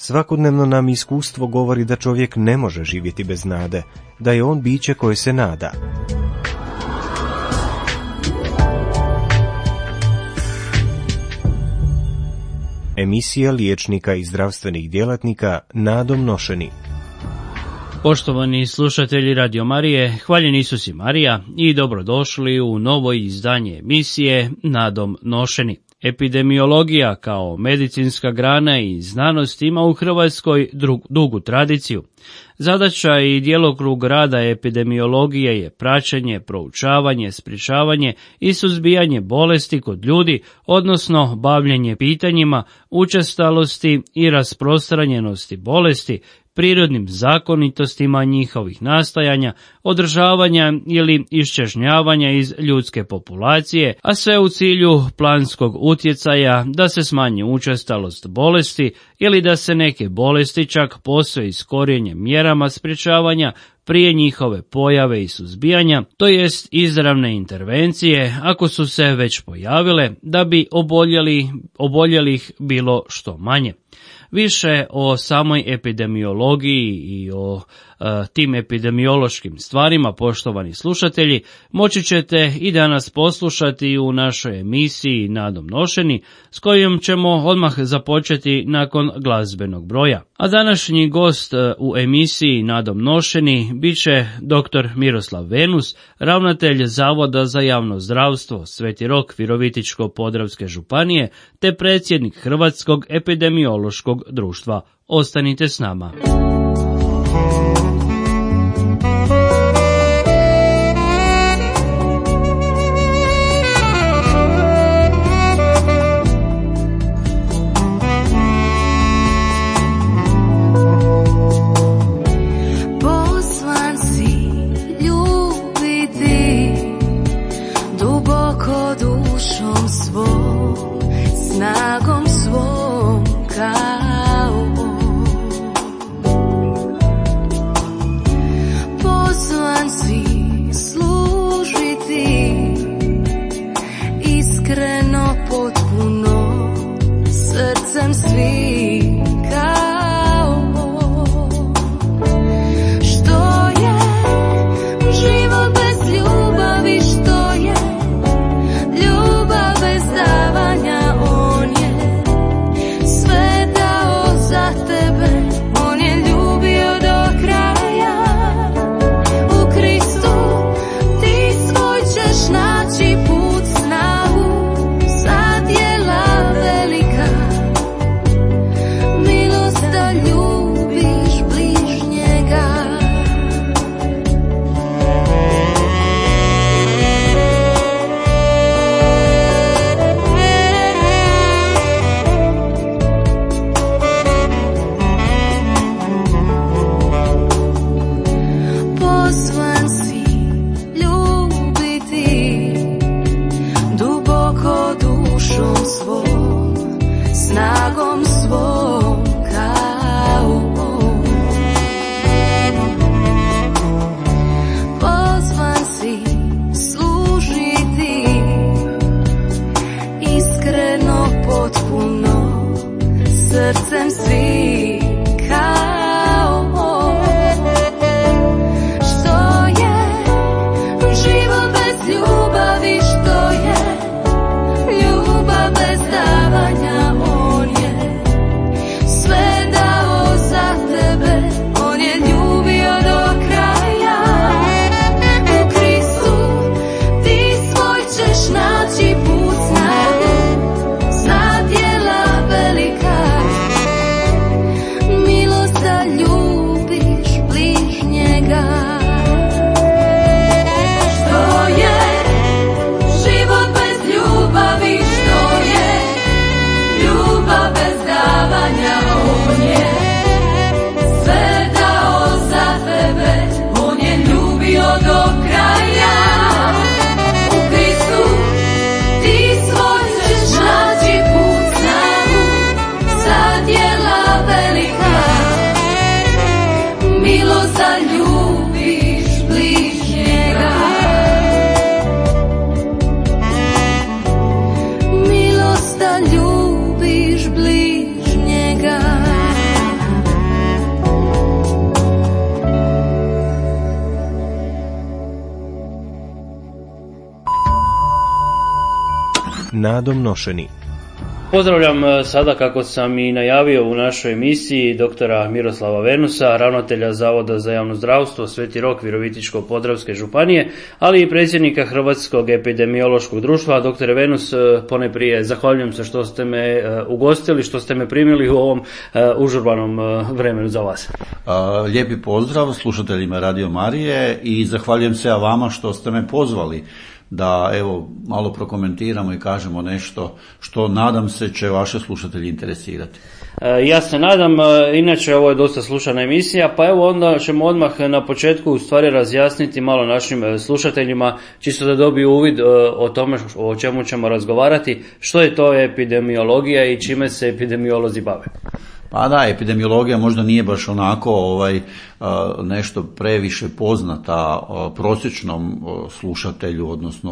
Svakodnevno nam iskustvo govori da čovjek ne može živjeti bez nade, da je on biće koje se nada. Emisija liječnika i zdravstvenih djelatnika Nadom nošeni. Poštovani slušatelji Radio Marije, hvaljen Isus i Marija i dobrodošli u novo izdanje emisije Nadom nošeni. Epidemiologija kao medicinska grana i znanost ima u Hrvatskoj dugu tradiciju. Zadaća i djelokrug rada epidemiologije je praćenje, proučavanje, sprječavanje i suzbijanje bolesti kod ljudi, odnosno bavljenje pitanjima učestalosti i rasprostranjenosti bolesti, prirodnim zakonitostima njihovih nastajanja, održavanja ili iščežnjavanja iz ljudske populacije, a sve u cilju planskog utjecaja da se smanji učestalost bolesti ili da se neke bolesti čak posve iskorijene mjerama sprječavanja prije njihove pojave i suzbijanja, to jest izravne intervencije ako su se već pojavile, da bi oboljelih bilo što manje. Više o samoj epidemiologiji i o tim epidemiološkim stvarima, poštovani slušatelji, moći ćete i danas poslušati u našoj emisiji Nadom nošeni, s kojom ćemo odmah započeti nakon glazbenog broja. A današnji gost u emisiji Nadom nošeni bit će dr. Miroslav Venus, ravnatelj Zavoda za javno zdravstvo Sveti Rok Virovitičko-podravske županije, te predsjednik Hrvatskog epidemiološkog društva. Ostanite s nama. nadom nošeni. Pozdravljam sada, kako sam i najavio u našoj emisiji, doktora Miroslava Venusa, ravnatelja Zavoda za javno zdravstvo Sveti Rok Virovitičko-podravske županije, ali i predsjednika Hrvatskog epidemiološkog društva. Doktore Venus, ponajprije zahvaljujem se što ste me ugostili, što ste me primili u ovom užurbanom vremenu za vas. Lijepi pozdrav slušateljima Radio Marije i zahvaljujem se vama što ste me pozvali da evo malo prokomentiramo i kažemo nešto što nadam se će vaše slušatelji interesirati. Ja se nadam, inače ovo je dosta slušana emisija, pa evo onda ćemo odmah na početku u stvari razjasniti malo našim slušateljima, čisto da dobiju uvid o tome o čemu ćemo razgovarati, što je to epidemiologija i čime se epidemiolozi bave. Pa da, epidemiologija možda nije baš onako nešto previše poznata prosječnom slušatelju, odnosno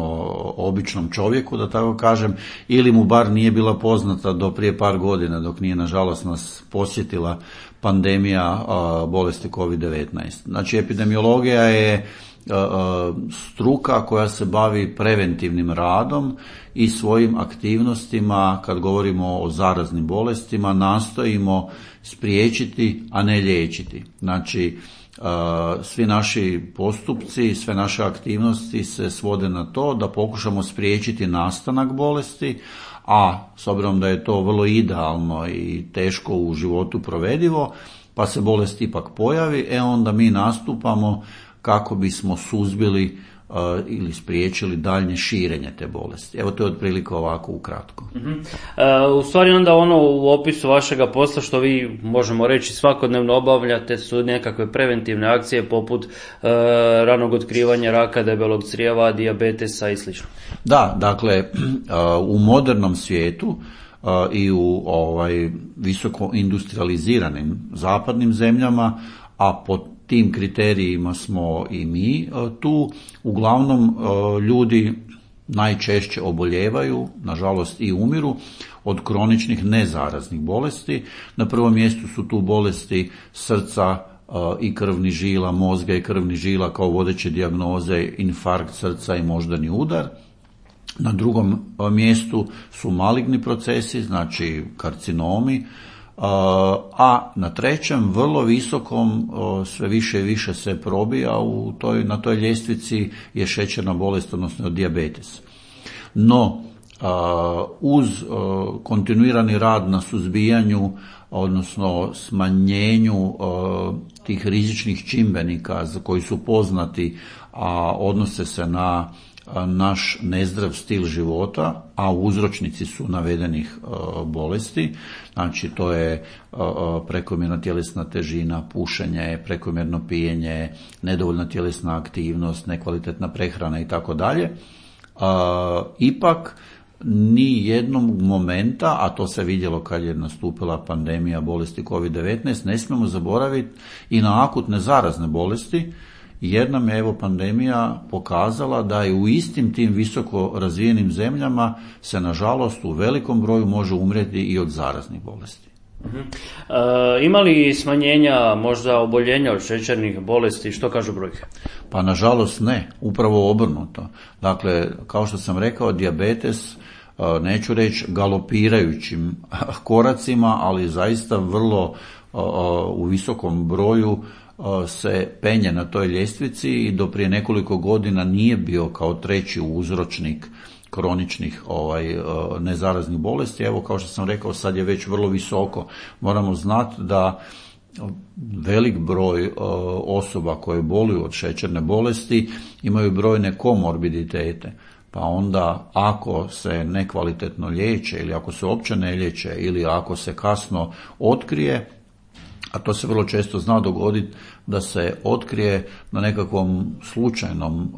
običnom čovjeku, da tako kažem, ili mu bar nije bila poznata do prije par godina, dok nije nažalost nas posjetila pandemija bolesti COVID-19. Znači, epidemiologija je struka koja se bavi preventivnim radom i svojim aktivnostima, kad govorimo o zaraznim bolestima, nastojimo spriječiti, a ne liječiti. Znači, svi naši postupci, sve naše aktivnosti se svode na to da pokušamo spriječiti nastanak bolesti, a s obzirom da je to vrlo idealno i teško u životu provedivo, pa se bolest ipak pojavi, onda mi nastupamo kako bismo suzbili ili spriječili daljnje širenje te bolesti. Evo, to je otprilike ovako ukratko. U stvari onda ono u opisu vašega posla što vi, možemo reći, svakodnevno obavljate su nekakve preventivne akcije poput ranog otkrivanja raka debelog crijeva, dijabetesa i sl. Da, dakle, u modernom svijetu i u visoko industrializiranim zapadnim zemljama, a pod tim kriterijima smo i mi tu, uglavnom ljudi najčešće oboljevaju, nažalost i umiru, od kroničnih nezaraznih bolesti. Na prvom mjestu su tu bolesti srca i krvnih žila, mozga i krvnih žila kao vodeće dijagnoze, infarkt srca i moždani udar. Na drugom mjestu su maligni procesi, znači karcinomi, a na trećem, vrlo visokom, sve više i više se probija na toj ljestvici je šećerna bolest, odnosno dijabetes. No, uz kontinuirani rad na suzbijanju, odnosno smanjenju tih rizičnih čimbenika za koji su poznati, a odnose se na naš nezdrav stil života, a uzročnici su navedenih bolesti, znači to je prekomjerna tjelesna težina, pušenje, prekomjerno pijenje, nedovoljna tjelesna aktivnost, nekvalitetna prehrana i tako dalje. Ipak ni jednog momenta, a to se vidjelo kad je nastupila pandemija bolesti COVID-19, ne smijemo zaboraviti i na akutne zarazne bolesti, jer nam je pandemija pokazala da je u istim tim visoko razvijenim zemljama se nažalost u velikom broju može umrijeti i od zaraznih bolesti. Ima li smanjenja možda oboljenja od šećernih bolesti, što kažu brojke? Pa nažalost ne, upravo obrnuto. Dakle, kao što sam rekao, dijabetes, neću reći galopirajućim koracima, ali zaista vrlo u visokom broju se penje na toj ljestvici i do prije nekoliko godina nije bio kao treći uzročnik kroničnih nezaraznih bolesti. Evo, kao što sam rekao, sad je već vrlo visoko. Moramo znati da velik broj osoba koje boluju od šećerne bolesti imaju brojne komorbiditete. Pa onda ako se nekvalitetno liječe ili ako se uopće ne liječe ili ako se kasno otkrije, a to se vrlo često zna dogoditi da se otkrije na nekakvom slučajnom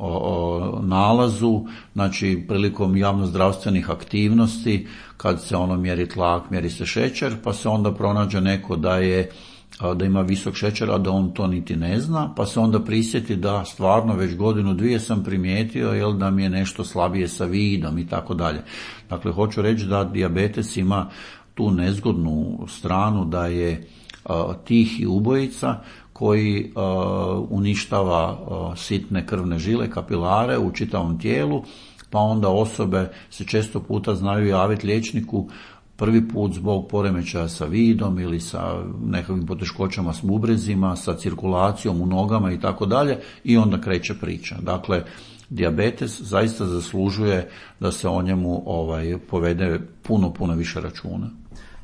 nalazu, znači prilikom javnozdravstvenih aktivnosti, kad se mjeri tlak, mjeri se šećer, pa se onda pronađe neko da ima visok šećer, a da on to niti ne zna, pa se onda prisjeti da stvarno već godinu, dvije sam primijetio da mi je nešto slabije sa vidom i tako dalje. Dakle, hoću reći da dijabetes ima tu nezgodnu stranu da je tihi ubojica koji uništava sitne krvne žile, kapilare u čitavom tijelu, pa onda osobe se često puta znaju javiti liječniku prvi put zbog poremećaja sa vidom ili sa nekakvim poteškoćama s bubrezima, sa cirkulacijom u nogama i tako dalje, i onda kreće priča. Dakle, dijabetes zaista zaslužuje da se o njemu povede puno više računa.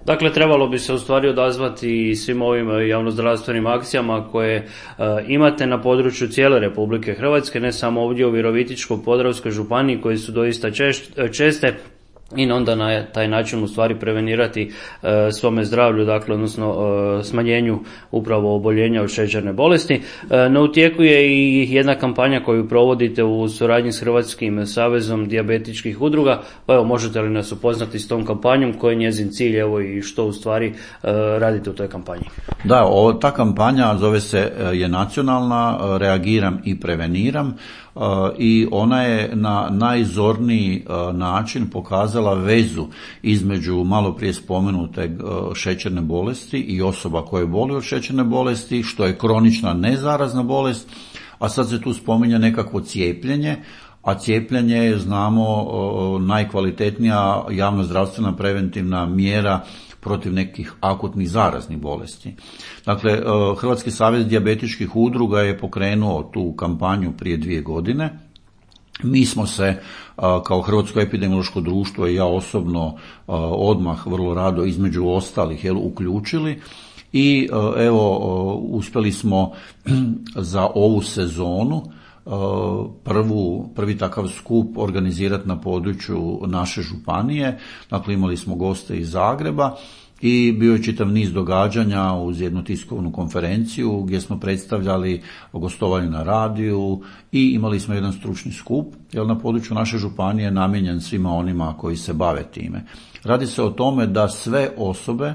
Dakle, trebalo bi se u stvari odazvati svim ovim javnozdravstvenim akcijama koje imate na području cijele Republike Hrvatske, ne samo ovdje u Virovitičko-podravskoj županiji, koje su doista česte, i onda na taj način u stvari prevenirati svome zdravlju, dakle, odnosno smanjenju upravo oboljenja od šećerne bolesti. No, u tijeku je i jedna kampanja koju provodite u suradnji s Hrvatskim savezom dijabetičkih udruga, pa evo, možete li nas upoznati s tom kampanjom, koji je njezin cilj, evo, i što u stvari radite u toj kampanji? Da, ta kampanja zove se je nacionalna, reagiram i preveniram, i ona je na najzorniji način pokazala vezu između malo prije spomenute šećerne bolesti i osoba koje boluju od šećerne bolesti, što je kronična nezarazna bolest, a sad se tu spominje nekakvo cijepljenje, a cijepljenje je, znamo, najkvalitetnija javnozdravstvena preventivna mjera protiv nekih akutnih zaraznih bolesti. Dakle, Hrvatski savez dijabetičkih udruga je pokrenuo tu kampanju prije 2 godine. Mi smo se kao Hrvatsko epidemiološko društvo i ja osobno odmah vrlo rado između ostalih uključili i evo uspjeli smo za ovu sezonu prvi takav skup organizirati na području naše županije. Dakle, imali smo goste iz Zagreba i bio je čitav niz događanja uz jednu tiskovnu konferenciju gdje smo predstavljali gostovanje na radiju i imali smo jedan stručni skup, jer na području naše županije je namijenjen svima onima koji se bave time. Radi se o tome da sve osobe,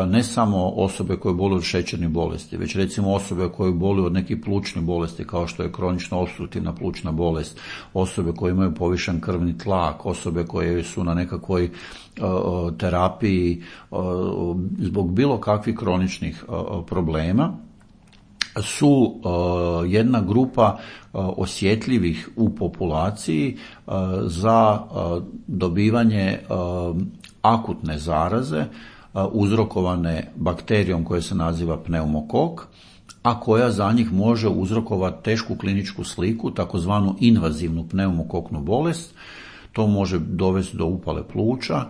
ne samo osobe koje boluju od šećernih bolesti, već recimo osobe koje boluju od nekih plućnih bolesti kao što je kronična opstruktivna plućna bolest, osobe koje imaju povišen krvni tlak, osobe koje su na nekakvoj terapiji zbog bilo kakvih kroničnih problema, su jedna grupa osjetljivih u populaciji za dobivanje akutne zaraze uzrokovane bakterijom koja se naziva pneumokok, a koja za njih može uzrokovati tešku kliničku sliku, takozvanu invazivnu pneumokoknu bolest. To može dovesti do upale pluća,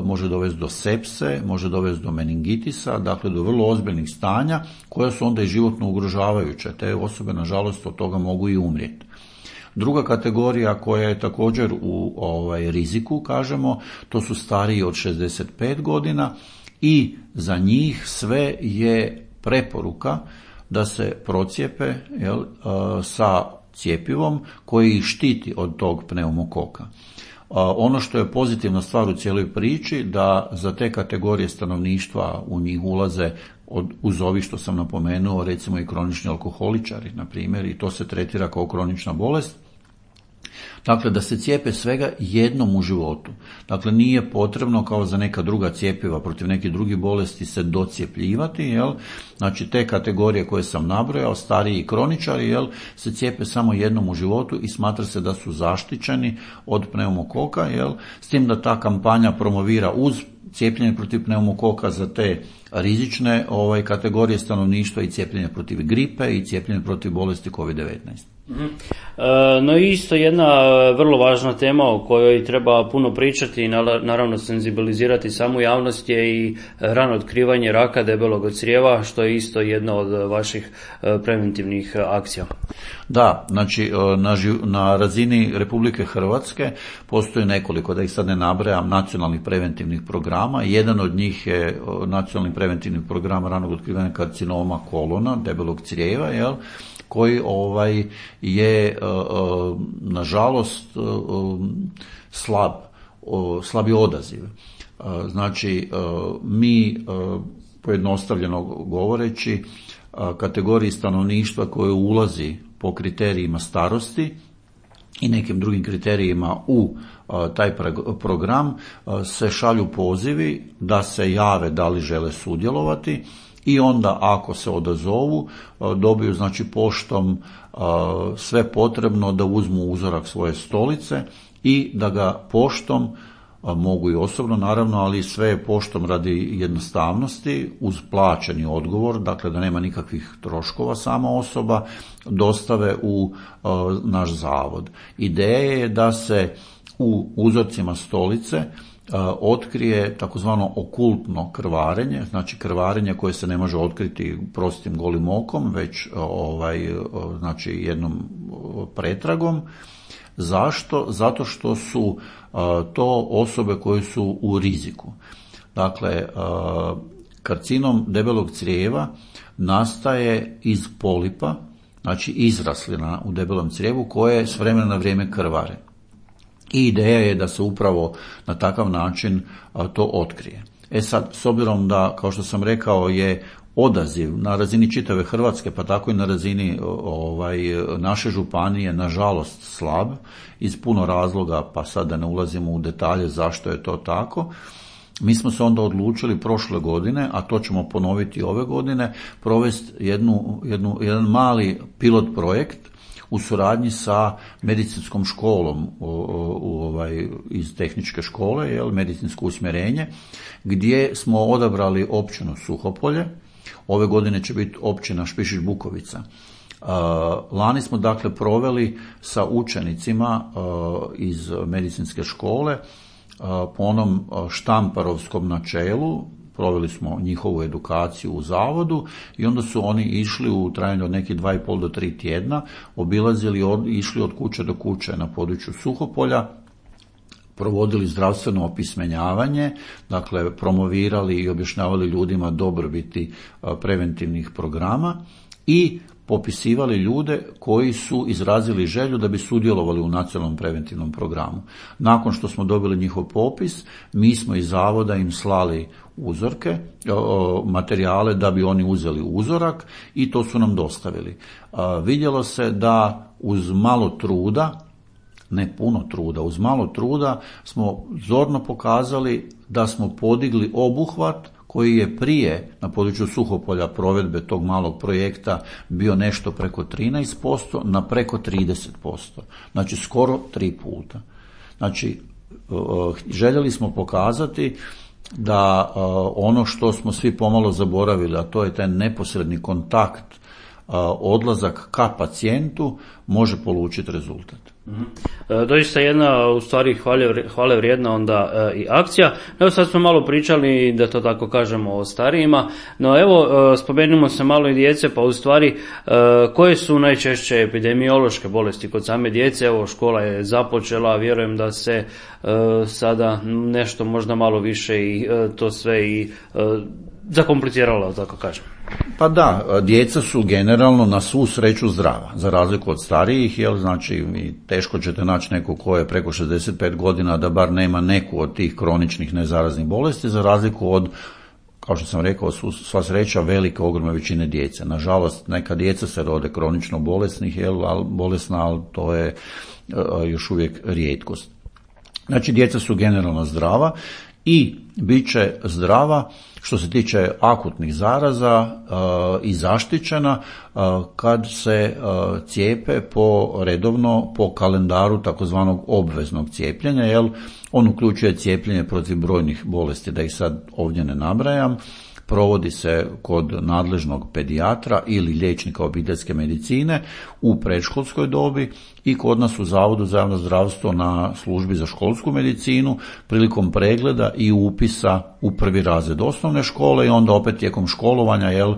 može dovesti do sepse, može dovesti do meningitisa, dakle do vrlo ozbiljnih stanja koja su onda i životno ugrožavajuće. Te osobe, nažalost, od toga mogu i umrijeti. Druga kategorija koja je također u riziku, kažemo, to su stariji od 65 godina i za njih sve je preporuka da se procijepe sa cjepivom koji ih štiti od tog pneumokoka. Ono što je pozitivna stvar u cijeloj priči, da za te kategorije stanovništva u njih ulaze uz ovi što sam napomenuo, recimo i kronični alkoholičari, na primjer, i to se tretira kao kronična bolest. Dakle, da se cijepe svega jednom u životu. Dakle, nije potrebno kao za neka druga cjepiva protiv nekih drugih bolesti se docijepljivati, Znači, te kategorije koje sam nabrojao, stariji i kroničari, se cijepe samo jednom u životu i smatra se da su zaštićeni od pneumokoka, S tim da ta kampanja promovira uz cijepljenje protiv pneumokoka za te rizične kategorije stanovništva i cijepljenje protiv gripe i cijepljenje protiv bolesti COVID-19. No isto jedna vrlo važna tema o kojoj treba puno pričati i naravno senzibilizirati samu javnost je i rano otkrivanje raka debelog crijeva, što je isto jedna od vaših preventivnih akcija. Da, znači na razini Republike Hrvatske postoji nekoliko, da ih sad ne nabrajam, nacionalnih preventivnih programa. Jedan od njih je nacionalni preventivni program ranog otkrivanja karcinoma kolona, debelog crijeva, koji je nažalost slabi odaziv. Znači, mi pojednostavljeno govoreći kategoriji stanovništva koje ulazi po kriterijima starosti i nekim drugim kriterijima u taj program se šalju pozivi da se jave da li žele sudjelovati i onda ako se odazovu dobiju znači poštom sve potrebno da uzmu uzorak svoje stolice i da ga poštom, mogu i osobno naravno, ali sve je poštom radi jednostavnosti, uz plaćeni odgovor, dakle da nema nikakvih troškova sama osoba, dostave u naš zavod. Ideja je da se u uzorcima stolice otkrije takozvano okultno krvarenje, znači krvarenje koje se ne može otkriti prostim golim okom, već znači jednom pretragom. Zašto? Zato što su to osobe koje su u riziku. Dakle, karcinom debelog crijeva nastaje iz polipa, znači izraslina u debelom crijevu koje s vremena na vrijeme krvare. I ideja je da se upravo na takav način to otkrije. Sad, s obzirom da, kao što sam rekao, je odaziv na razini čitave Hrvatske, pa tako i na razini naše županije, nažalost slab, iz puno razloga, pa sad da ne ulazimo u detalje zašto je to tako, mi smo se onda odlučili prošle godine, a to ćemo ponoviti ove godine, provesti jedan mali pilot projekt u suradnji sa medicinskom školom iz tehničke škole, medicinsko usmjerenje, gdje smo odabrali općinu Suhopolje. Ove godine će biti općina Špišić Bukovica. Lani smo dakle proveli sa učenicima iz medicinske škole po onom štamparovskom načelu, proveli smo njihovu edukaciju u zavodu i onda su oni išli u trajanju od nekih 2,5 do 3 tjedna, obilazili, išli od kuće do kuće na području Suhopolja, provodili zdravstveno opismenjavanje, dakle promovirali i objašnjavali ljudima dobrobiti preventivnih programa i popisivali ljude koji su izrazili želju da bi sudjelovali u nacionalnom preventivnom programu. Nakon što smo dobili njihov popis, mi smo iz zavoda im slali uzorke, materijale da bi oni uzeli uzorak i to su nam dostavili. Vidjelo se da uz malo truda, ne puno truda, uz malo truda smo zorno pokazali da smo podigli obuhvat koji je prije na području Suhopolja provedbe tog malog projekta bio nešto preko 13% na preko 30%. Znači skoro 3 puta. Znači željeli smo pokazati da ono što smo svi pomalo zaboravili, a to je taj neposredni kontakt, odlazak ka pacijentu, može polučiti rezultat. Doista jedna u stvari hvale vrijedna onda i akcija. Evo sad smo malo pričali, da to tako kažemo, o starijima, no evo spomenimo se malo i djece, pa u stvari koje su najčešće epidemiološke bolesti kod same djece? Evo škola je započela, vjerujem da se sada nešto možda malo više i to sve i zakompliciralo, tako kažem. Pa da, djeca su generalno na svu sreću zdrava, za razliku od starijih, znači teško ćete naći neko ko je preko 65 godina da bar nema neku od tih kroničnih nezaraznih bolesti, za razliku od, kao što sam rekao, sva sreća velike, ogromne većine djece. Nažalost, neka djeca se rode kronično bolesna, ali to je još uvijek rijetkost. Znači, djeca su generalno zdrava i bit će zdrava što se tiče akutnih zaraza i zaštićena kad se cijepe redovno po kalendaru takozvanog obveznog cijepljenja, jer on uključuje cijepljenje protiv brojnih bolesti, da ih sad ovdje ne nabrajam. Provodi se kod nadležnog pedijatra ili liječnika obiteljske medicine u predškolskoj dobi i kod nas u Zavodu za javno zdravstvo na službi za školsku medicinu prilikom pregleda i upisa u prvi razred osnovne škole i onda opet tijekom školovanja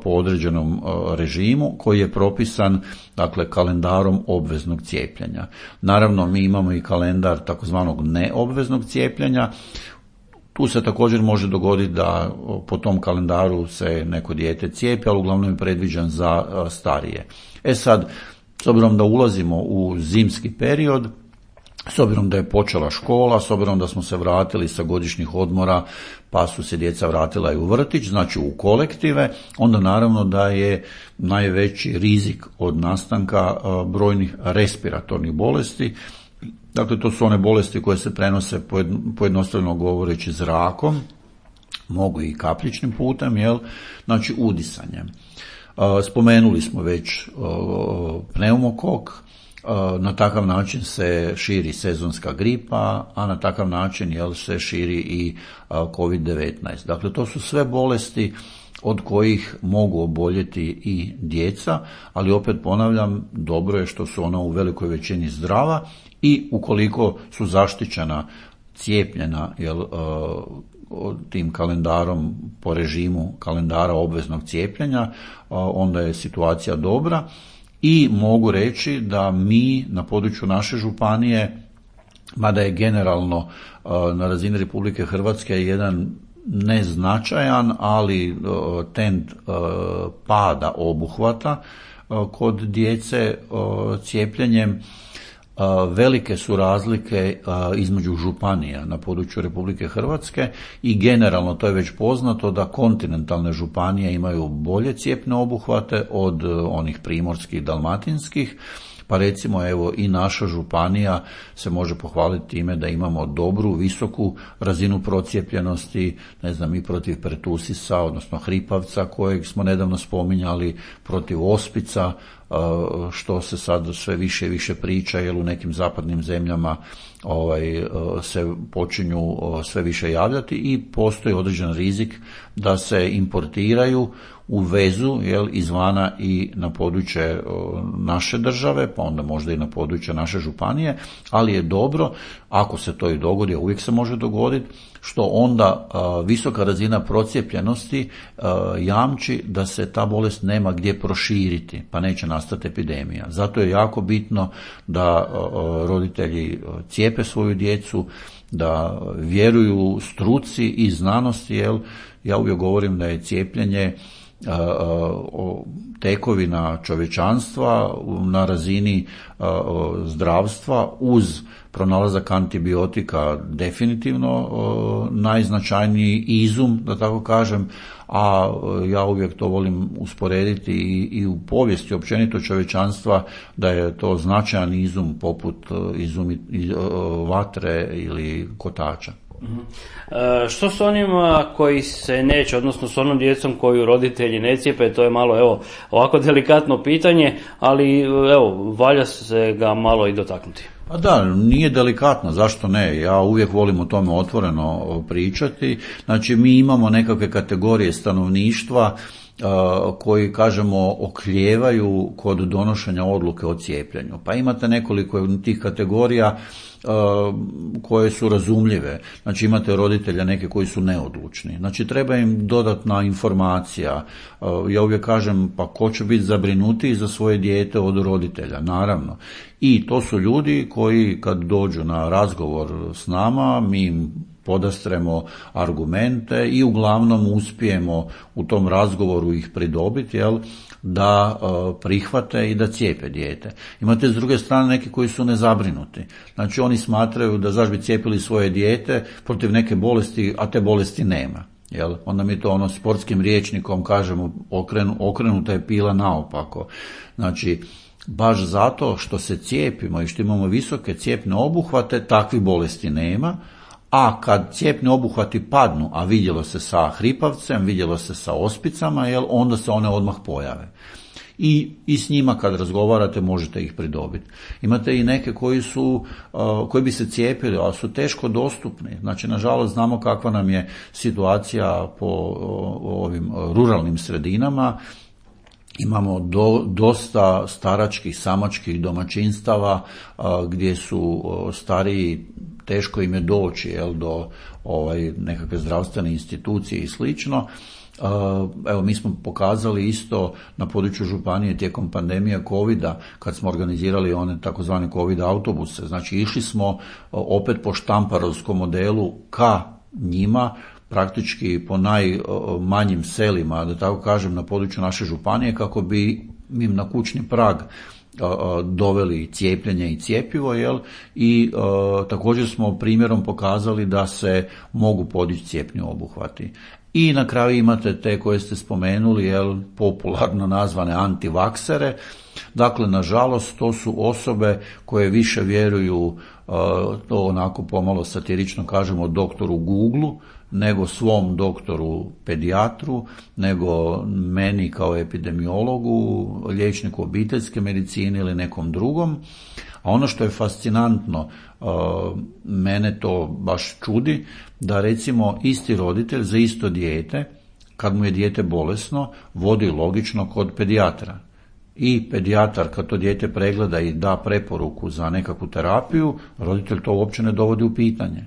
po određenom režimu koji je propisan, dakle, kalendarom obveznog cijepljenja. Naravno, mi imamo i kalendar takozvanog neobveznog cijepljenja. Tu se također može dogoditi da po tom kalendaru se neko dijete cijepi, ali uglavnom je predviđen za starije. Sad, s obzirom da ulazimo u zimski period, s obzirom da je počela škola, s obzirom da smo se vratili sa godišnjih odmora, pa su se djeca vratila i u vrtić, znači u kolektive, onda naravno da je najveći rizik od nastanka brojnih respiratornih bolesti. Dakle, to su one bolesti koje se prenose pojednostavno govoreći zrakom, mogu i kapljičnim putem, znači udisanjem. Spomenuli smo već pneumokok, Na takav način se širi sezonska gripa, a na takav način se širi i COVID-19. Dakle, to su sve bolesti od kojih mogu oboljeti i djeca, ali opet ponavljam, dobro je što su ona u velikoj većini zdrava i ukoliko su zaštićena, cijepljena tim kalendarom po režimu kalendara obveznog cijepljenja, onda je situacija dobra. I mogu reći da mi na području naše županije, mada je generalno na razini Republike Hrvatske jedan neznačajan, ali trend pada obuhvata kod djece cijepljenjem, velike su razlike između županija na području Republike Hrvatske i generalno to je već poznato da kontinentalne županije imaju bolje cjepne obuhvate od onih primorskih, dalmatinskih. Pa recimo i naša županija se može pohvaliti time da imamo dobru, visoku razinu procijepljenosti, i protiv pertusisa, odnosno hripavca kojeg smo nedavno spominjali, protiv ospica, što se sad sve više i više priča, jer u nekim zapadnim zemljama se počinju sve više javljati i postoji određen rizik da se importiraju, uvezu izvana i na područje naše države, pa onda možda i na područje naše županije, ali je dobro, ako se to i dogodi, a uvijek se može dogoditi, što onda visoka razina procijepljenosti jamči da se ta bolest nema gdje proširiti, pa neće nastati epidemija. Zato je jako bitno da roditelji cijepe svoju djecu, da vjeruju struci i znanosti, ja uvijek govorim da je cijepljenje tekovina čovječanstva na razini zdravstva uz pronalazak antibiotika definitivno najznačajniji izum, da tako kažem, a ja uvijek to volim usporediti i u povijesti općenito čovječanstva da je to značajan izum poput vatre ili kotača. Što s onima koji se neće, odnosno s onom djecom koju roditelji ne cijepe, to je malo ovako delikatno pitanje, ali valja se ga malo i dotaknuti. A da, nije delikatno, zašto ne? Ja uvijek volim o tome otvoreno pričati. Znači, mi imamo nekakve kategorije stanovništva koji, kažemo, oklijevaju kod donošenja odluke o cijepljenju. Pa imate nekoliko tih kategorija koje su razumljive. Znači, imate roditelja neke koji su neodlučni. Znači, treba im dodatna informacija. Ja uvijek kažem, pa ko će biti zabrinutiji za svoje dijete od roditelja? Naravno. I to su ljudi koji kad dođu na razgovor s nama, mi im podastremo argumente i uglavnom uspijemo u tom razgovoru ih pridobiti, da prihvate i da cijepe dijete. Imate s druge strane neki koji su nezabrinuti. Znači oni smatraju da zašto bi cijepili svoje dijete protiv neke bolesti, a te bolesti nema. Onda mi to sportskim rječnikom kažemo okrenuta je pila naopako. Znači, baš zato što se cijepimo i što imamo visoke cijepne obuhvate, takvih bolesti nema, a kad cijepni obuhvati padnu, a vidjelo se sa hripavcem, vidjelo se sa ospicama, onda se one odmah pojave. I s njima kad razgovarate možete ih pridobiti. Imate i neke koji bi se cijepili, ali su teško dostupni. Znači, nažalost, znamo kakva nam je situacija po ovim ruralnim sredinama. Imamo dosta staračkih, samačkih domaćinstava gdje su stariji, teško im je doći do nekakve zdravstvene institucije i slično. Mi smo pokazali isto na području županije tijekom pandemije covida, kad smo organizirali one takozvane covid autobuse. Znači, išli smo opet po štamparovskom modelu ka njima, praktički po najmanjim selima, da tako kažem, na području naše županije, kako bi im na kućni prag doveli cijepljenje i cjepivo, i također smo primjerom pokazali da se mogu podići cijepni obuhvati. I na kraju imate te koje ste spomenuli, popularno nazvane antivaksere. Dakle, nažalost, to su osobe koje više vjeruju, to onako pomalo satirično kažemo, doktoru Googlu, nego svom doktoru pedijatru, nego meni kao epidemiologu, liječniku obiteljske medicine ili nekom drugom. A ono što je fascinantno, mene to baš čudi, da recimo isti roditelj za isto dijete, kad mu je dijete bolesno, vodi logično kod pedijatra. I pedijatar kad to dijete pregleda i da preporuku za nekakvu terapiju, roditelj to uopće ne dovodi u pitanje.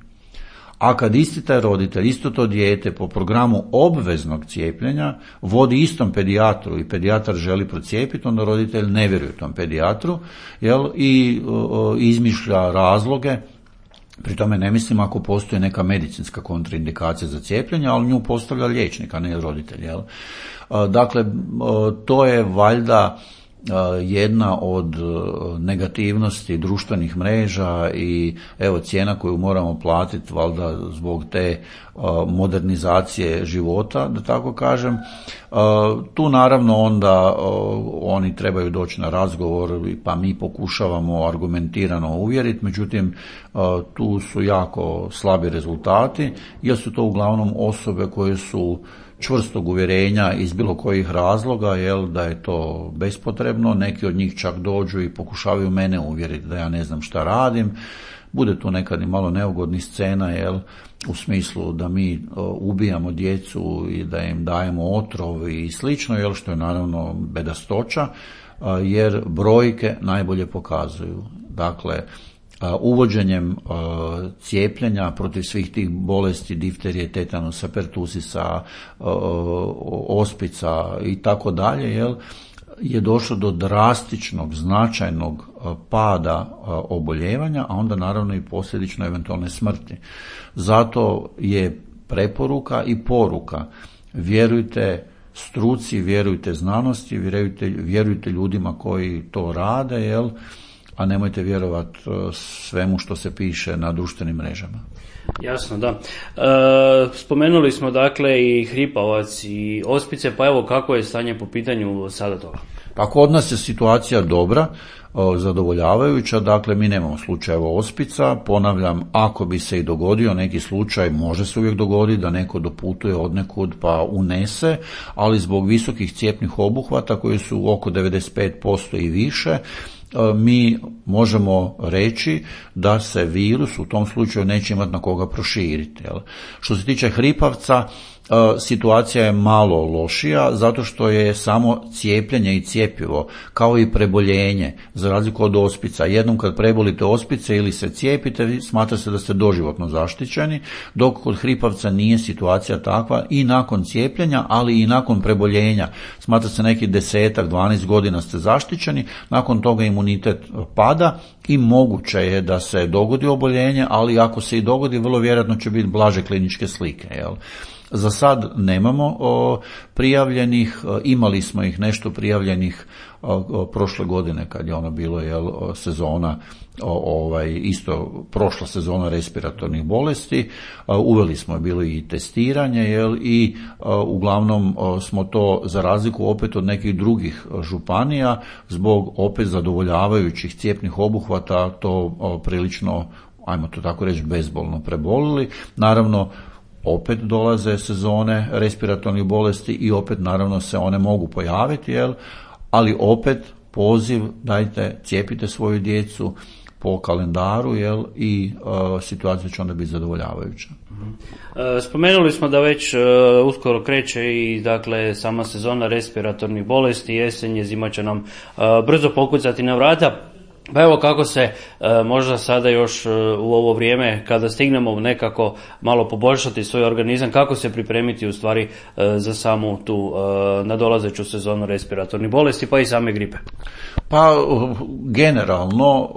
A kad isti taj roditelj, isto to dijete po programu obveznog cijepljenja vodi istom pedijatru i pedijatar želi procijepiti, onda roditelj ne vjeruje tom pedijatru, i izmišlja razloge. Pri tome ne mislim ako postoji neka medicinska kontraindikacija za cijepljenje, ali nju postavlja liječnik, a ne roditelj. Dakle, to je valjda jedna od negativnosti društvenih mreža i evo cijena koju moramo platiti valjda zbog te modernizacije života, da tako kažem. Tu naravno onda oni trebaju doći na razgovor, pa mi pokušavamo argumentirano uvjeriti, međutim tu su jako slabi rezultati, jer su to uglavnom osobe koje su čvrstog uvjerenja iz bilo kojih razloga, da je to bespotrebno. Neki od njih čak dođu i pokušavaju mene uvjeriti da ja ne znam šta radim. Bude tu nekad i malo neugodnih scena, u smislu da mi ubijamo djecu i da im dajemo otrov i slično, što je naravno bedastoća, jer brojke najbolje pokazuju. Dakle, uvođenjem cijepljenja protiv svih tih bolesti, difterije, tetanusa, pertusisa, ospica i tako dalje, je došlo do drastičnog, značajnog pada oboljevanja, a onda naravno i posljedično eventualne smrti. Zato je preporuka i poruka: vjerujte struci, vjerujte znanosti, vjerujte ljudima koji to rade, a nemojte vjerovati svemu što se piše na društvenim mrežama. Jasno, da. Spomenuli smo dakle i hripavac i ospice, pa evo kako je stanje po pitanju sada toga? Pa kod nas je situacija dobra, zadovoljavajuća, dakle mi nemamo slučajeva ospica. Ponavljam, ako bi se i dogodio neki slučaj, može se uvijek dogoditi da neko doputuje odnekud pa unese, ali zbog visokih cjepnih obuhvata koji su oko 95% i više, mi možemo reći da se virus u tom slučaju neće imati na koga proširiti. Što se tiče hripavca, situacija je malo lošija, zato što je samo cijepljenje i cjepivo, kao i preboljenje, za razliku od ospica. Jednom kad prebolite ospice ili se cijepite, smatra se da ste doživotno zaštićeni, dok kod hripavca nije situacija takva i nakon cijepljenja, ali i nakon preboljenja. Smatra se neki 10-12 godina ste zaštićeni, nakon toga imunitet pada i moguće je da se dogodi oboljenje, ali ako se i dogodi, vrlo vjerojatno će biti blaže kliničke slike. Za sad nemamo prijavljenih, imali smo ih nešto prijavljenih prošle godine kad je ono bilo sezona, isto prošla sezona respiratornih bolesti, uveli smo bilo i testiranje i uglavnom smo to, za razliku opet od nekih drugih županija, zbog opet zadovoljavajućih cjepnih obuhvata to prilično, ajmo to tako reći, bezbolno prebolili. Naravno, opet dolaze sezone respiratornih bolesti i opet naravno se one mogu pojaviti, ali opet poziv, dajte, cijepite svoju djecu po kalendaru, i situacija će onda biti zadovoljavajuća. Spomenuli smo da već uskoro kreće i dakle sama sezona respiratornih bolesti, jesenje, zima će nam brzo pokucati na vrata. Pa evo kako se možda sada još u ovo vrijeme kada stignemo nekako malo poboljšati svoj organizam, kako se pripremiti u stvari za samu tu nadolazeću sezonu respiratornih bolesti pa i same gripe? Pa generalno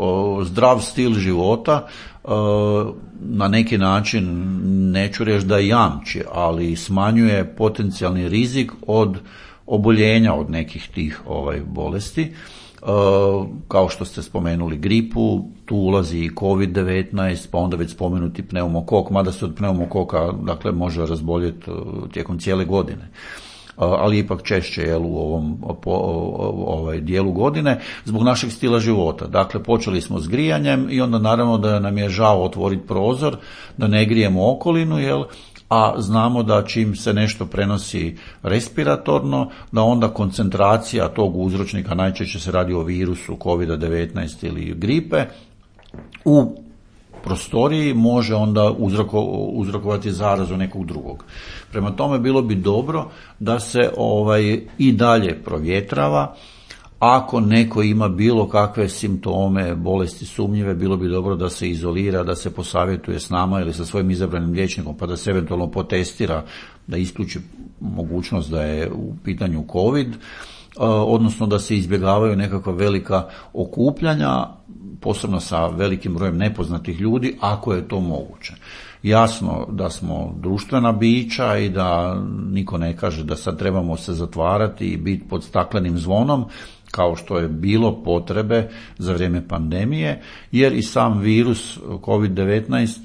zdrav stil života na neki način, neću reći da jamči, ali smanjuje potencijalni rizik od oboljenja od nekih tih bolesti. Kao što ste spomenuli gripu, tu ulazi i COVID-19, pa onda već spomenuti pneumokok, mada se od pneumokoka može razboljeti tijekom cijele godine, ali ipak češće u ovom dijelu godine zbog našeg stila života. Dakle, počeli smo s grijanjem i onda naravno da nam je žao otvoriti prozor, da ne grijemo okolinu, a znamo da čim se nešto prenosi respiratorno, da onda koncentracija tog uzročnika, najčešće se radi o virusu COVID-19 ili gripe, u prostoriji može onda uzrokovati zarazu nekog drugog. Prema tome bilo bi dobro da se i dalje provjetrava. Ako neko ima bilo kakve simptome, bolesti sumnjive, bilo bi dobro da se izolira, da se posavjetuje s nama ili sa svojim izabranim liječnikom, pa da se eventualno potestira, da isključi mogućnost da je u pitanju COVID, odnosno da se izbjegavaju nekakva velika okupljanja, posebno sa velikim brojem nepoznatih ljudi, ako je to moguće. Jasno da smo društvena bića i da niko ne kaže da sad trebamo se zatvarati i biti pod staklenim zvonom, kao što je bilo potrebe za vrijeme pandemije, jer i sam virus COVID-19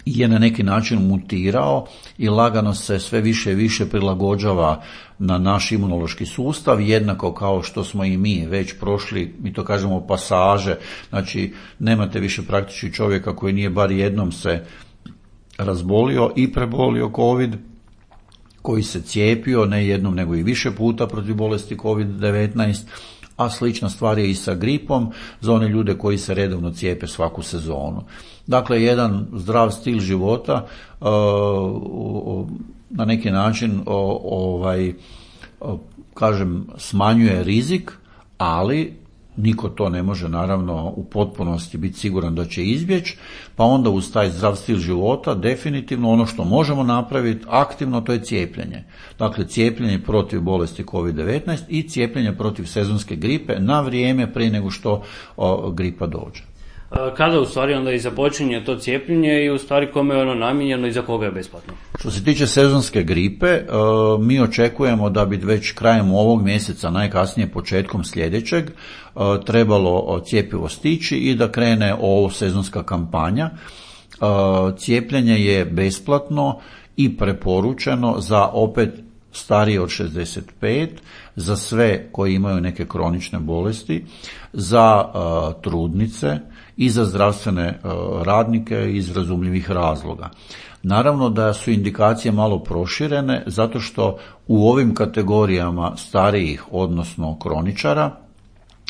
je na neki način mutirao i lagano se sve više i više prilagođava na naš imunološki sustav, jednako kao što smo i mi već prošli, mi to kažemo pasaže, znači nemate više praktički čovjeka koji nije bar jednom se razbolio i prebolio COVID, koji se cijepio ne jednom nego i više puta protiv bolesti COVID-19, a slična stvar je i sa gripom za one ljude koji se redovno cijepe svaku sezonu. Dakle, jedan zdrav stil života na neki način smanjuje rizik, ali niko to ne može naravno u potpunosti biti siguran da će izbjeći, pa onda uz taj zdrav stil života definitivno ono što možemo napraviti aktivno, to je cijepljenje. Dakle, cijepljenje protiv bolesti COVID-19 i cijepljenje protiv sezonske gripe na vrijeme prije nego što gripa dođe. Kada u stvari onda i započinje to cijepljenje i u stvari kome je ono namijenjeno i za koga je besplatno? Što se tiče sezonske gripe, mi očekujemo da bi već krajem ovog mjeseca, najkasnije početkom sljedećeg, trebalo cjepivo stići i da krene ovo sezonska kampanja. Cijepljenje je besplatno i preporučeno za opet starije od 65, za sve koji imaju neke kronične bolesti, za trudnice i za zdravstvene radnike iz razumljivih razloga. Naravno da su indikacije malo proširene zato što u ovim kategorijama starijih, odnosno kroničara,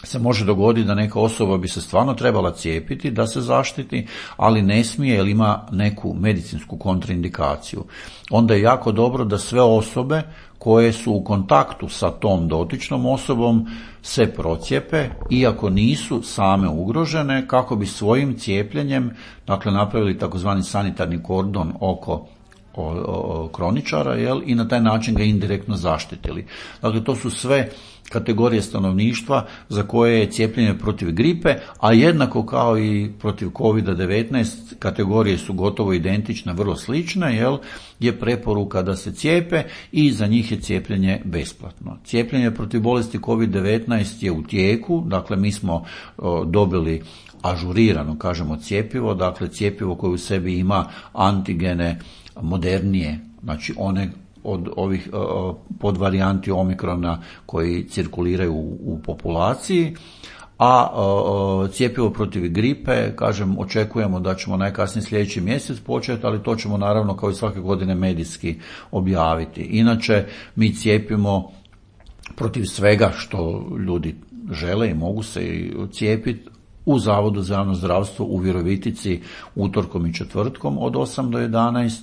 se može dogoditi da neka osoba bi se stvarno trebala cijepiti da se zaštiti, ali ne smije jer ima neku medicinsku kontraindikaciju. Onda je jako dobro da sve osobe koje su u kontaktu sa tom dotičnom osobom se procijepe, iako nisu same ugrožene, kako bi svojim cijepljenjem, dakle, napravili takozvani sanitarni kordon oko kroničara, i na taj način ga indirektno zaštitili. Dakle, to su sve kategorije stanovništva za koje je cijepljenje protiv gripe, a jednako kao i protiv COVID-19 kategorije su gotovo identične, vrlo slične, je preporuka da se cijepe i za njih je cijepljenje besplatno. Cijepljenje protiv bolesti COVID-19 je u tijeku, dakle mi smo dobili ažurirano, kažemo, cjepivo, dakle cjepivo koje u sebi ima antigene modernije, znači one od ovih podvarijanti omikrona koji cirkuliraju u populaciji, a cjepivo protiv gripe, kažem, očekujemo da ćemo najkasnije sljedeći mjesec početi, ali to ćemo naravno kao i svake godine medijski objaviti. Inače, mi cijepimo protiv svega što ljudi žele i mogu se cijepiti u Zavodu za javno zdravstvo u Virovitici utorkom i četvrtkom od 8 do 11,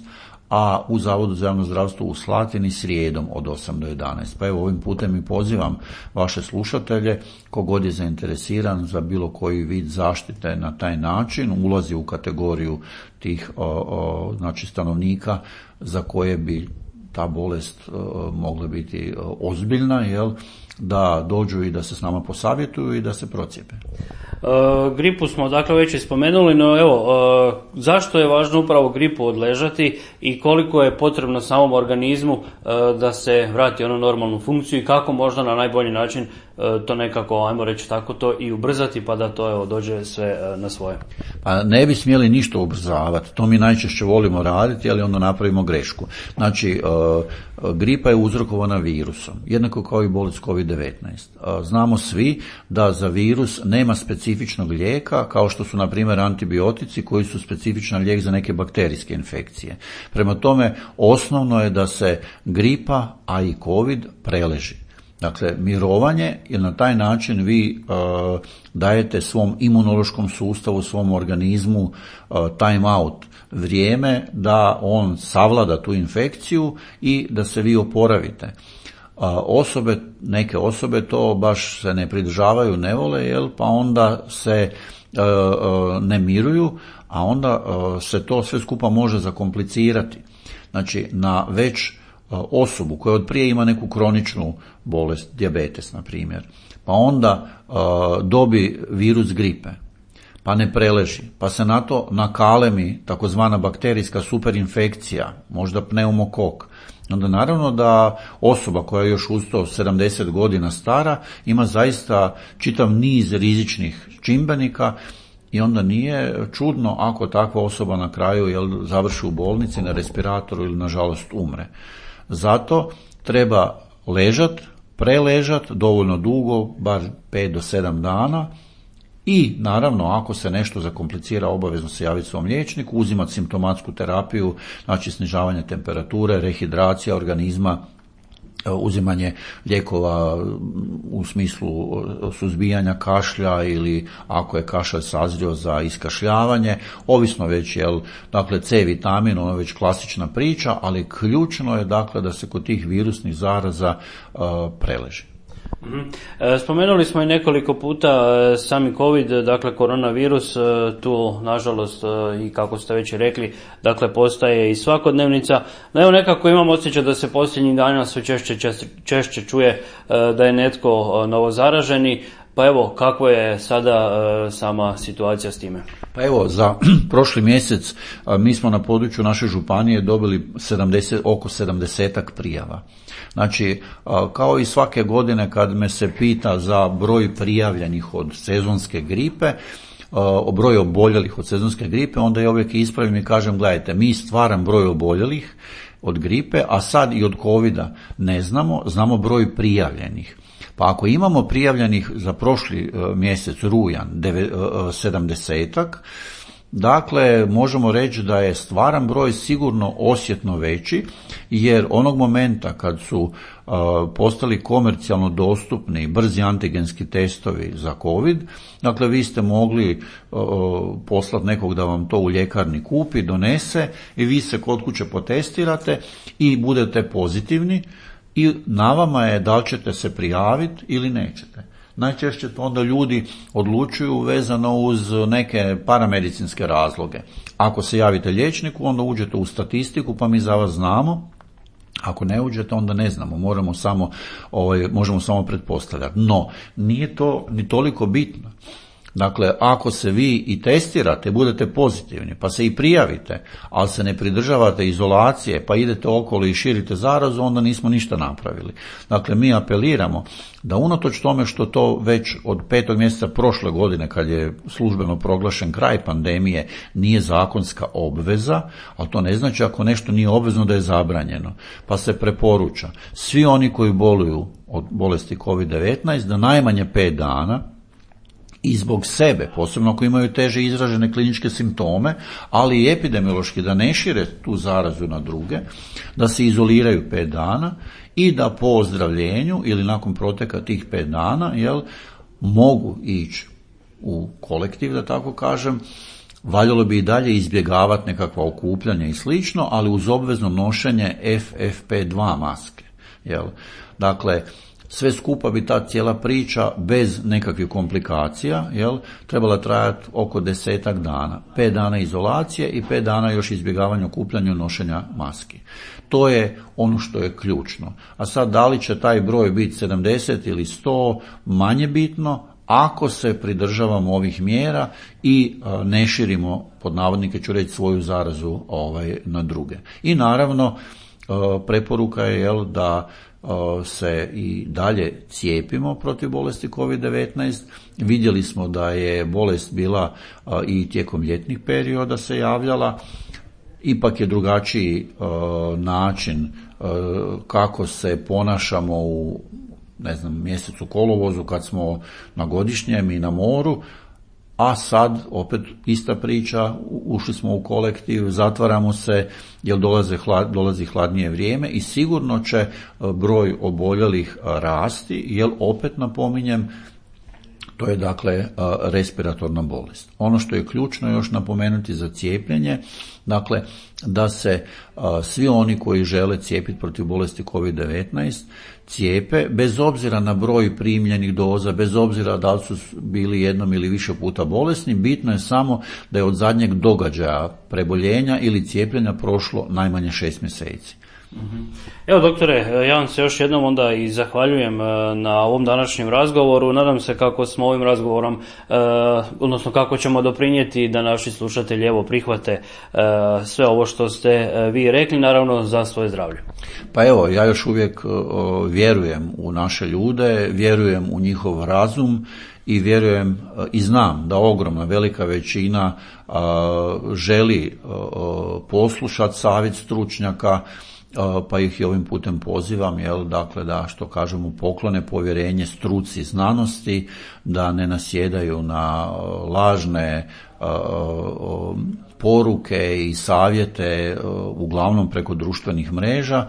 a u Zavodu za javno zdravstvo u Slatini srijedom od 8 do 11. Pa evo, ovim putem i pozivam vaše slušatelje, kogod je zainteresiran za bilo koji vid zaštite na taj način, ulazi u kategoriju tih znači stanovnika za koje bi ta bolest mogla biti ozbiljna, da dođu i da se s nama posavjetuju i da se procijepe. Gripu smo dakle već i spomenuli, no zašto je važno upravo gripu odležati i koliko je potrebno samom organizmu da se vrati onu normalnu funkciju i kako možda na najbolji način to nekako, ajmo reći tako, to i ubrzati pa da to dođe sve na svoje? Pa ne bi smjeli ništa ubrzavati, to mi najčešće volimo raditi, ali onda napravimo grešku. Znači, gripa je uzrokovana virusom, jednako kao i bolest COVID-19. Znamo svi da za virus nema specifičnog lijeka, kao što su, na primjer, antibiotici koji su specifičan lijek za neke bakterijske infekcije. Prema tome, osnovno je da se gripa, a i COVID preleži. Dakle, mirovanje, jer na taj način vi dajete svom imunološkom sustavu, svom organizmu time out, vrijeme da on savlada tu infekciju i da se vi oporavite. Neke osobe to baš se ne pridržavaju, ne vole, pa onda se ne miruju, a onda se to sve skupa može zakomplicirati. Znači, na već osobu koja od prije ima neku kroničnu bolest, dijabetes na primjer, pa onda dobi virus gripe, pa ne preleži, pa se na to nakalemi takozvana bakterijska superinfekcija, možda pneumokok, onda naravno da osoba koja je još uz to 70 godina stara ima zaista čitav niz rizičnih čimbenika i onda nije čudno ako takva osoba na kraju završi u bolnici na respiratoru ili nažalost umre. Zato treba preležat dovoljno dugo, bar 5 do 7 dana i naravno ako se nešto zakomplicira obavezno se javiti svom liječniku, uzimati simptomatsku terapiju, znači snižavanje temperature, rehidracija organizma, uzimanje lijekova u smislu suzbijanja kašlja ili ako je kašalj sazrio za iskašljavanje, ovisno već dakle C vitamin, ono je već klasična priča, ali ključno je dakle da se kod tih virusnih zaraza preleži. Spomenuli smo i nekoliko puta sami COVID, dakle koronavirus, tu nažalost i kako ste već rekli, dakle postaje i svakodnevnica. No evo nekako imam osjećaj da se posljednjih dana sve češće čuje da je netko novozaraženi, pa evo kako je sada sama situacija s time? Pa evo, za prošli mjesec mi smo na području naše županije dobili oko 70-ak prijava. Znači, kao i svake godine kad me se pita za broj prijavljenih od sezonske gripe, o broju oboljelih od sezonske gripe, onda ja uvijek ispravim i kažem, gledajte, mi stvaran broj oboljelih od gripe, a sad i od covida ne znamo broj prijavljenih. Pa ako imamo prijavljenih za prošli mjesec, rujan, 70-ak, dakle, možemo reći da je stvaran broj sigurno osjetno veći, jer onog momenta kad su postali komercijalno dostupni brzi antigenski testovi za COVID, dakle, vi ste mogli poslati nekog da vam to u ljekarni kupi, donese i vi se kod kuće potestirate i budete pozitivni i na vama je da li ćete se prijaviti ili nećete. Najčešće to onda ljudi odlučuju vezano uz neke paramedicinske razloge. Ako se javite liječniku, onda uđete u statistiku pa mi za vas znamo. Ako ne uđete, onda ne znamo, možemo samo pretpostavljati. No, nije to ni toliko bitno. Dakle, ako se vi i testirate, budete pozitivni, pa se i prijavite, ali se ne pridržavate izolacije, pa idete okolo i širite zarazu, onda nismo ništa napravili. Dakle, mi apeliramo da unatoč tome što to već od 5. mjeseca prošle godine, kad je službeno proglašen kraj pandemije, nije zakonska obveza, ali to ne znači ako nešto nije obvezno da je zabranjeno, pa se preporuča svi oni koji boluju od bolesti COVID-19 da najmanje 5 dana i zbog sebe, posebno ako imaju teže izražene kliničke simptome, ali i epidemiološki da ne šire tu zarazu na druge, da se izoliraju 5 dana i da po ozdravljenju ili nakon proteka tih 5 dana mogu ići u kolektiv, da tako kažem. Valjalo bi i dalje izbjegavati nekakva okupljanja i slično, ali uz obvezno nošenje FFP2 maske. Dakle, sve skupa bi ta cijela priča bez nekakvih komplikacija trebala trajati oko 10 dana. 5 dana izolacije i 5 dana još izbjegavanja okupljanja i nošenja maski. To je ono što je ključno. A sad da li će taj broj biti 70 ili 100, manje bitno, ako se pridržavamo ovih mjera i ne širimo, pod navodnike ću reći, svoju zarazu na druge. I naravno, preporuka je da se i dalje cijepimo protiv bolesti COVID-19. Vidjeli smo da je bolest bila i tijekom ljetnih perioda se javljala. Ipak je drugačiji način kako se ponašamo u mjesecu kolovozu kad smo na godišnjem i na moru, a sad opet ista priča, ušli smo u kolektiv, zatvaramo se jer dolazi hladnije vrijeme i sigurno će broj oboljelih rasti, jer opet napominjem, to je dakle respiratorna bolest. Ono što je ključno još napomenuti za cijepljenje, dakle da se svi oni koji žele cijepiti protiv bolesti COVID-19 cijepe, bez obzira na broj primljenih doza, bez obzira da li su bili jednom ili više puta bolesni, bitno je samo da je od zadnjeg događaja preboljenja ili cijepljenja prošlo najmanje 6 mjeseci. Evo doktore, ja vam se još jednom onda i zahvaljujem na ovom današnjem razgovoru. Nadam se kako smo ovim razgovorom, odnosno kako ćemo doprinijeti da naši slušatelji prihvate sve ovo što ste vi rekli, naravno za svoje zdravlje. Pa evo, ja još uvijek vjerujem u naše ljude, vjerujem u njihov razum i vjerujem i znam da ogromna velika većina želi poslušati savjet stručnjaka, pa ih i ovim putem pozivam, dakle da, što kažemo, poklone povjerenje struci znanosti, da ne nasjedaju na lažne poruke i savjete, uglavnom preko društvenih mreža,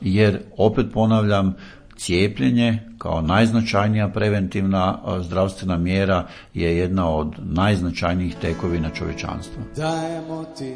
jer opet ponavljam, cijepljenje kao najznačajnija preventivna zdravstvena mjera je jedna od najznačajnijih tekovina čovječanstva. Dajemo ti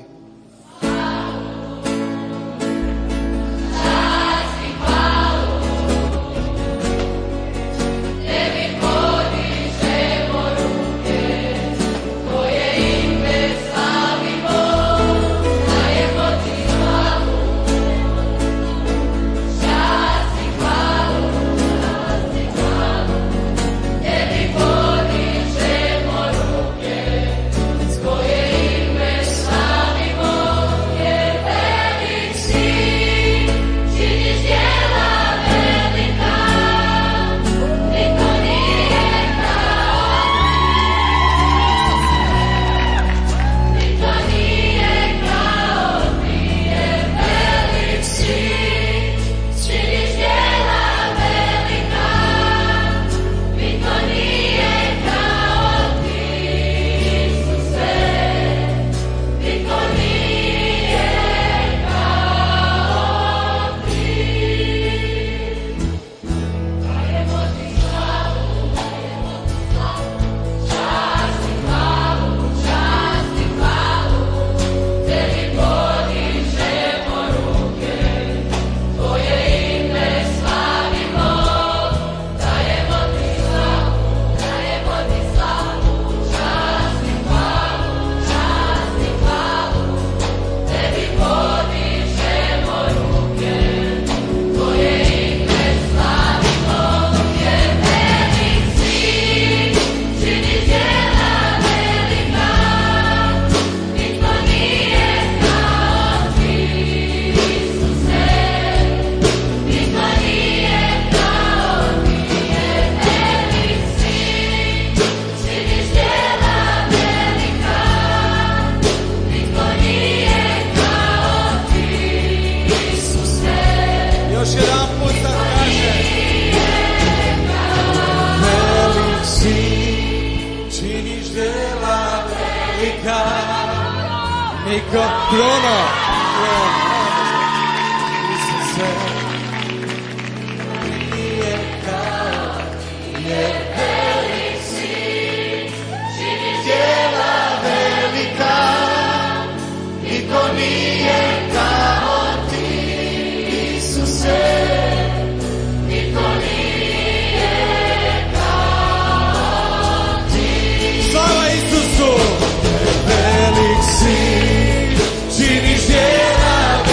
činiš djela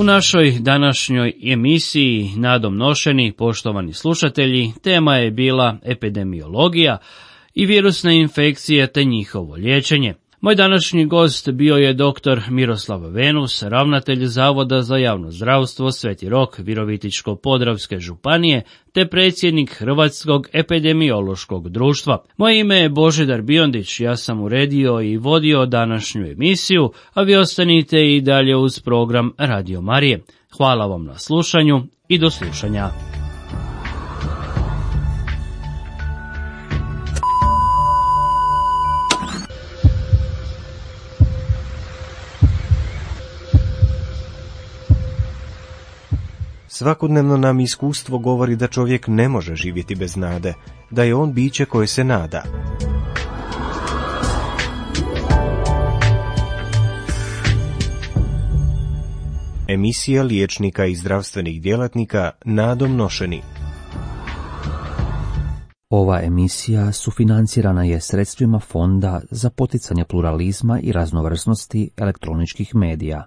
U našoj današnjoj emisiji Nadom nošeni, poštovani slušatelji, tema je bila epidemiologija i virusne infekcije te njihovo liječenje. Moj današnji gost bio je dr. Miroslav Venus, ravnatelj Zavoda za javno zdravstvo Sveti Rok Virovitičko-podravske županije te predsjednik Hrvatskog epidemiološkog društva. Moje ime je Božidar Biondić, ja sam uredio i vodio današnju emisiju, a vi ostanite i dalje uz program Radio Marije. Hvala vam na slušanju i do slušanja. Svakodnevno nam iskustvo govori da čovjek ne može živjeti bez nade, da je on biće koje se nada. Emisija liječnika i zdravstvenih djelatnika Nadom nošeni. Ova emisija sufinancirana je sredstvima Fonda za poticanje pluralizma i raznovrsnosti elektroničkih medija.